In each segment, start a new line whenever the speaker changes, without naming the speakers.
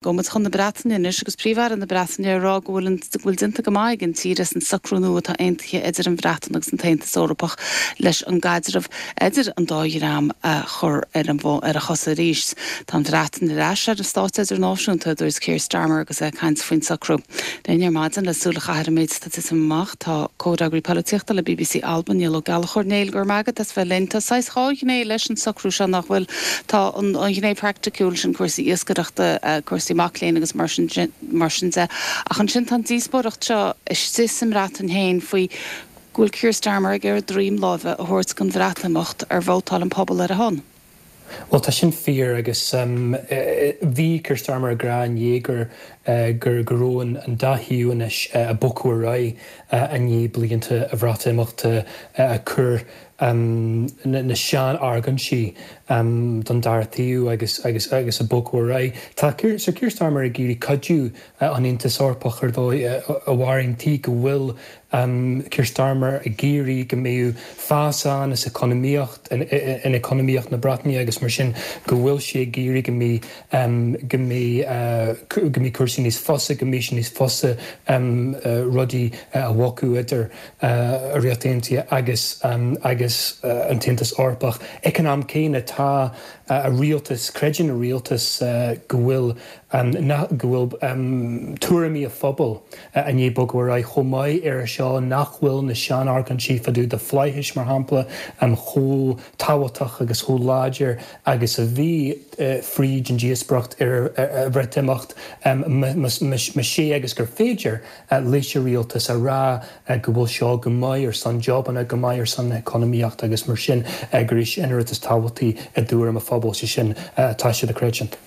Gabhfaidh muid chun na Breataine anois agus Príomh-Aire na Breataine ag rá go bhfuil an go bhfuil déanta go maith ag an tír as an socrú nua atá aontaithe idir an Bhreatain agus an tAontas Eorpach leis an gcaidreamh idir an dá dhream a chur ar an ar a chosa arís. Tá an Bhreatain ar ais ar an stáitse idirnáisiúnta, a dúirt Keir Starmer agus é ag caint faoin socrú. Linn ar maidin le súil a chaitheamh ar an méid atá ag titim amach tá comhfhreagraí polaitíochta le bbc Alba, Niall Ó Gallchóir. Néill, go raibh maith agat as bheith linn. Tá saghas dhá ghné leis an socrú seo nach bhfuil? Tá an ghné phraiticiúil, sin cúrsaí iascaireachta, cúrsaí mac léinn agus mar sin mar sin de, ach ansin tá an díospóireacht seo istigh sa mBreatain féin faoi go bhfuil Keir Starmer ag iarraidh droim láimhe a thabhairt don Bhreatimeacht ar vótáil an pobal ar a shon.
Bhuel, tá sin fíor agus bhí Keir Starmer ag rá inné gur gur go raibh an dá thaobh anois ag bogadh ar aghaidh i ndiaidh blianta an Bhreatimeachta ag cur na sean-argóintí don dara taobh agus agus agus ag bogadh ar aghaidh. Tá Sir Keir Starmer ag iarraidh cuidiú an Aontas Eorpach ar dóigh a Mháirín tuige go bhfuil Keir Starmer ag iarraidh go mbeadh fás ann is economaíocht in economaíocht na Breataine agus mar sin go bhfuil sé ag iarraidh go mbeidh go mbeidh go mbeidh cúrsaí níos fusa, go mbeidh sé níos fusa rudaí a bhogadh idir an Ríocht Aontaithe agus agus an tAontas Eorpach. Ag an am céanna, tá a rialtas, creideann a rialtas go bhfuil go bhfuil tuairimí an phobail i ndiaidh bogadh ar aghaidh chomh maith air seo, nach bhfuil na sean-argóintí fá dtaobh de flaithis, mar shampla, chomh tábhachtach agus chomh láidir agus a bhí fríd an díospóireacht ar an Bhreatimeacht. Más ea agus gur féidir leis an rialtas a rá go bhfuil seo go maith ar son jobanna, go maith ar son na heconomaíochta agus mar sin gur é sin an rud is tábhachtaí i dtuairim an phobail, sé sin atá siad ag creidiúint.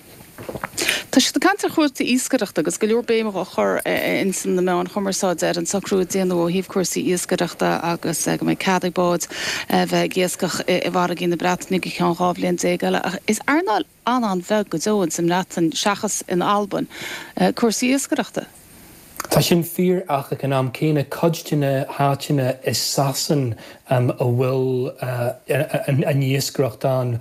Tá siad ag caint ar chúrsaí iascaireachta agus go leor béime á chur ins na meáin chumarsáide ar an socrú a déanadh ó thaobh cúrsaí iascaireachta agus go mbeidh cead ag báid bheith ag iascach i bhfarraigí na Breataine go ceann 12 bhliain eile. Ach is earnáil an-an-bheag go deo ins an mBreatain seachas in Albain, cúrsaí iascaireachta.
Tá sin fíor ach ag an am céanna cuid de na háiteanna i Sasain a bhfuil an iascaireacht ann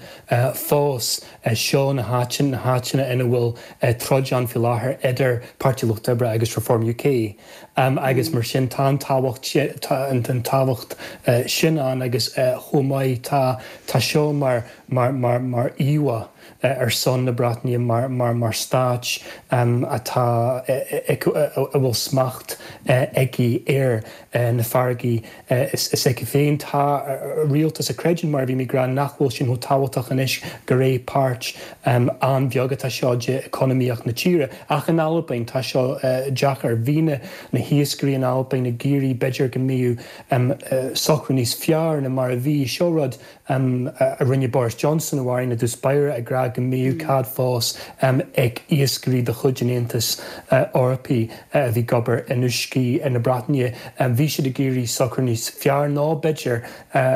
fós, seo na háiteanna na ina bhfuil troid ann faoi láthair idir Páirtí Lucht Oibre agus Reform UK agus mar sin tá an tábhacht tá an tábhacht sin ann agus chomh maith tá tá seo mar mar mar mar íomhá ar son na Breataine mar mar mar stáit atá a bhfuil smacht aici ar na farraigí s'aici féin. Tá rialtas a chreideann, mar a bhí mé ag rá, nach bhfuil sin chomh tábhachtach anois, gur é páirt an-bheag atá seo de economaíocht na tíre. Ach in Albain, tá seo deacair. Bhí na na hiascairí in Albain ag iarraidh b'fhéidir go mbeadh socrú níos fearr ná mar a bhí. Seo rud a rinne Boris Johnson, a Mháirín, i dtús báire, ag rá go mbeadh cead fós ag iascairí de chuid an Aontais Eorpaigh a bhí ag obair in uiscí na Breataine. Bhí siad ag iarraidh socrú níos fearr nó b'fhéidir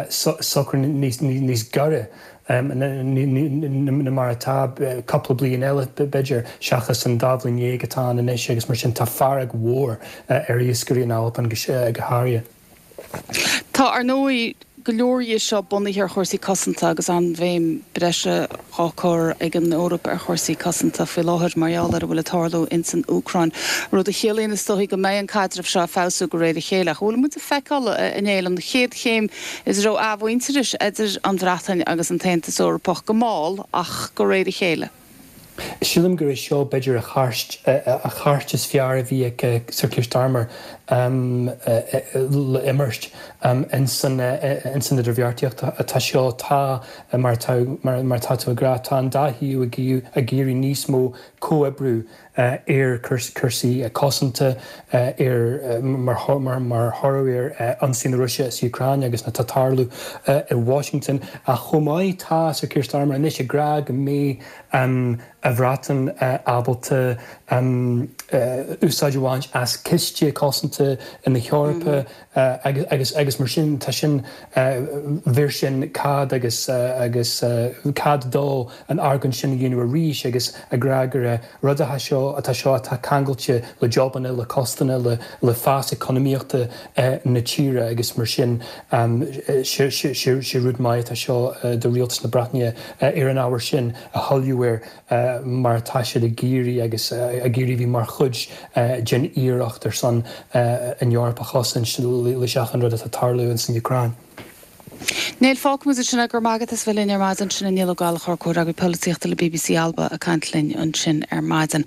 socrú níos gaire ná mar atá, cúpla bliain eile b'fhéidir, seachas an dá bhliain dhéag atá ann anois agus mar sin tá fearg mhór ar iascairí in Albain go háirithe.
Tá, ar ndóigh, go leor dhe seo bunaithe ar chúrsaí cosanta agus an-bhéim breise á cur ag an Eoraip ar chúrsaí cosanta faoi láthair mar gheall ar a bhfuil ag tarlú ins an Úcráin, rud a chiallaíonn is dóichí go mbeidh an caidreamh seo ag feabhsú de réir a chéile. Ach an bhfuil muid ag feiceáil, a Néill, an chéad chéim i dtreo athmhuintearais idir an Bhreatain agus an tAontas Eorpach, go mall ach de réir a chéile?
Sílim gur é seo b'fhéidir an chairt is fearr a bhí ag Sir Keir Starmer le imirt ins an idirbheartaíocht atá seo. Tá, mar atá tú ag rá, tá an dá thaobh ag iarraidh níos mó comhoibriú ar chúrsaí cosanta, ar mar thoradh ar ionsaí na Rúise sa Úcráin agus atá ag tarlú i Washington. Ach chomh maith, tá Sir Keir Starmer anois ag rá go mbeidh an Bhreatain ábalta úsáid a bhaint as ciste cosanta na hEorpa agus agus mar sin tá sin bheir sin cead agus agus cead dó an argóint sin a dhéanamh arís agus ag rá gur rud atá seo atá seo atá ceangailte le jobanna, le postanna, le le fás eacnamaíochta na tíre agus mar sin sé rud maith atá seo do rialtas na Breataine ar an ábhar sin a thoiliú air. mar atá siad ag iarraidh agus ag iarraidh bheith mar chuid den iarracht ar son an Eoraip a chosaint leis achan rud atá ag tarlú ins an Úcráin.
Neil, fágfaimid ansin é. Go raibh maith agat as bheith linn ar maidin. Sin é Niall Ó Gallchóir, Comhfhreagraí Polaitíochta le bbc Alba ag caint linn ansin ar maidin.